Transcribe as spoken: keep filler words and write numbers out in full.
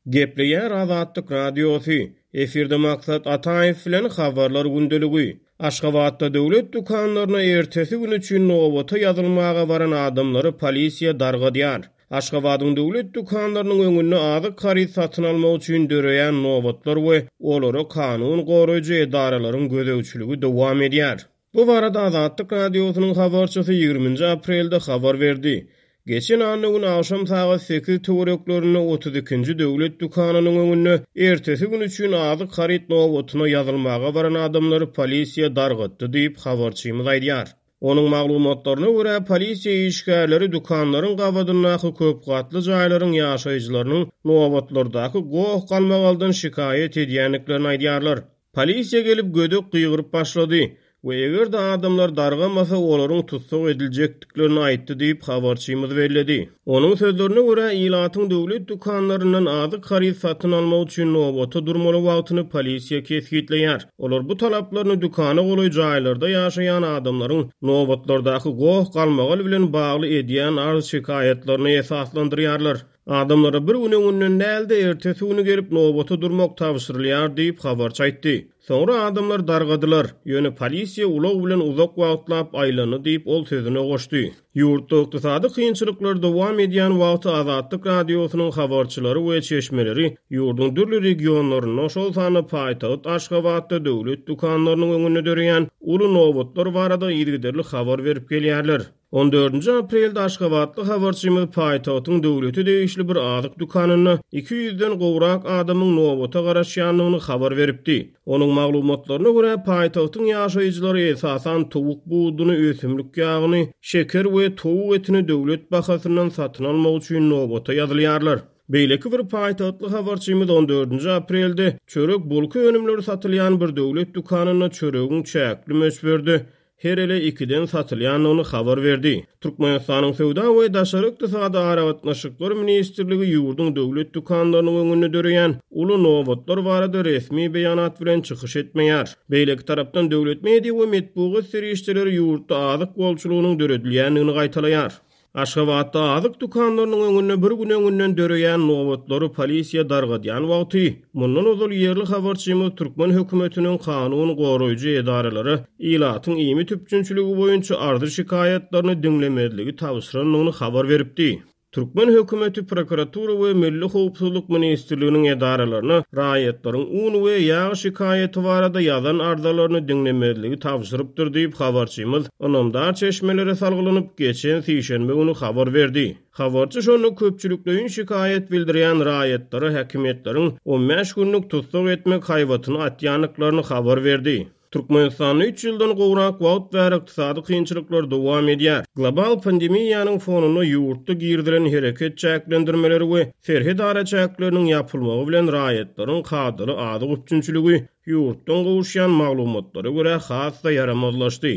Gepleýär Azatlyk Radiosy. Efirde Maksat Ataýew bilen Habarlar gündeligi. Aşgabatda döwlet dükanlaryna ertesi gün üçin nobata ýazylmaga baran adamlary polisiýa dargadýar. Aşgabadyň döwlet dükanlarynyň öňünde azyk haryt satyn almak üçin döreýän nobatlar we olara kanun goraýjy edaralaryň gözegçiligi dowam edýär. Bu barada Azatlyk Radiosynyň habarçysy ýigriminji aprelde habar berdi. Geçen anna güni agşam sagat sekiz töwereklerinde otuz ikinji döwlet dükanynyň öňünde ertesi gün üçin azyk haryt nobatyna ýazylmaga baran adamlary polisiýa dargatdy diýip, habarçymyz aýdýar. Onuň maglumatlaryna görä, polisiýa işgärleri dükanlaryň gabadyndaky köp gatly jaýlaryň ýaşaýjylarynyň nobatlardaky goh-galmagaldan şikaýat edýändiklerini aýdýarlar. Polisiýa gelip gödek gygyryp başlady we eger-de adamlar dargamasa, olaryň tussag ediljekdiklerini aýtdy diýip, habarçymyz belledi. Onuň sözlerine görä, ilatyň döwlet dükanlaryndan azyk haryt satyn almak üçin nobata durmaly wagtyny polisiýa kesgitleýär. Olar bu talaplaryny dükana golaý jaýlarda ýaşaýan adamlaryň nobatlardaky goh-galmagal bilen bagly edýän arz-şikaýatlaryna esaslandyrýarlar. Adamlara bir gün öňünden däl-de, ertesi güni gelip nobata durmak tabşyrylýar diýip, habarçy aýtdy. Soňra adamlar dargadylar, ýöne polisiýa ulag bilen uzak wagtlap aýlandy diýip, ol sözüne goşdy. Ýurtda ykdysady kynçylyklar dowam edýän wagty Azatlyk Radiosynyň habarçylary we çeşmeleri ýurduň dürli regionlarynda, şol sanda paýtagt Aşgabatda döwlet dükanlarynyň öňünde döreýän uly nobatlar barada yzygiderli habar berip gelýärler. On dördünji aprelde aşgabatly habarçymyz paýtagtyň döwlete degişli bir azyk dükanynda iki ýüzden gowrak adamyň nobata garaşýandygyny habar beripdi. Onuň maglumatlaryna görä, paýtagtyň ýaşaýjylary esasan towuk buduny, ösümlik ýagyny, şeker we towuk etini döwlet bahasyndan satyn almak üçin nobata ýazylýarlar. Beýleki bir paýtagtly habarçymyz on dördünji aprelde çörek bulka önümleri satylýan bir döwlet dükanynda çöregiň çäkli möçberde her ele ikiden satylýandygyny habar berdi. Türkmenistanyň Söwda we daşary ykdysady aragatnaşyklar ministrligi ýurduň döwlet dükanlarynyň öňünde döreýän uly nobatlar barada resmi beýanat bilen çykyş etmeýär. Beýleki tarapdan döwlet media we metbugat serişdeleri ýurtda azyk bolçulygynyň döredilýändigini gaýtalaýar. Aşgabatda azyk dükanlarynyň öňünde bir gün öňünden döreýän nobatlary polisiýa dargadýan wagty, mundan ozal ýerli habarçymyz türkmen hökümetiniň kanun goraýjy edaralary ilatyň iýmit üpjünçiligi boýunça arzy-şikaýatlaryny diňlemezligi tabşyrandygyny habar beripdi. Türkmen hökümeti prokuratura we Milli howpsuzlyk ministrliginiň edaralaryna raýatlaryň un we ýag şikaýaty barada ýazan arzalaryny diňlemezligi tabşyrypdyr diýip, habarçymyz ynamdar çeşmelere salgylanyp, geçen sişenbe güni habar berdi. Habarçy şonda köpçülikleýin şikaýat bildirýän raýatlara häkimiýetleriň on bäş günlük tussag etmek haýbatyny atýandyklaryny habar berdi. Türkmenistanda üç ýyldan gowrak wagt bäri ykdysady kynçylyklar dowam edýär. Global pandemiýanyň fonunda ýurtda girizilen hereket çäklendirmeleri we serhet araçäkleriniň ýapylmagy bilen raýatlaryň kadaly azyk üpjünçiligi ýurtdan gowuşýan maglumatlara görä has-da ýaramazlaşdy.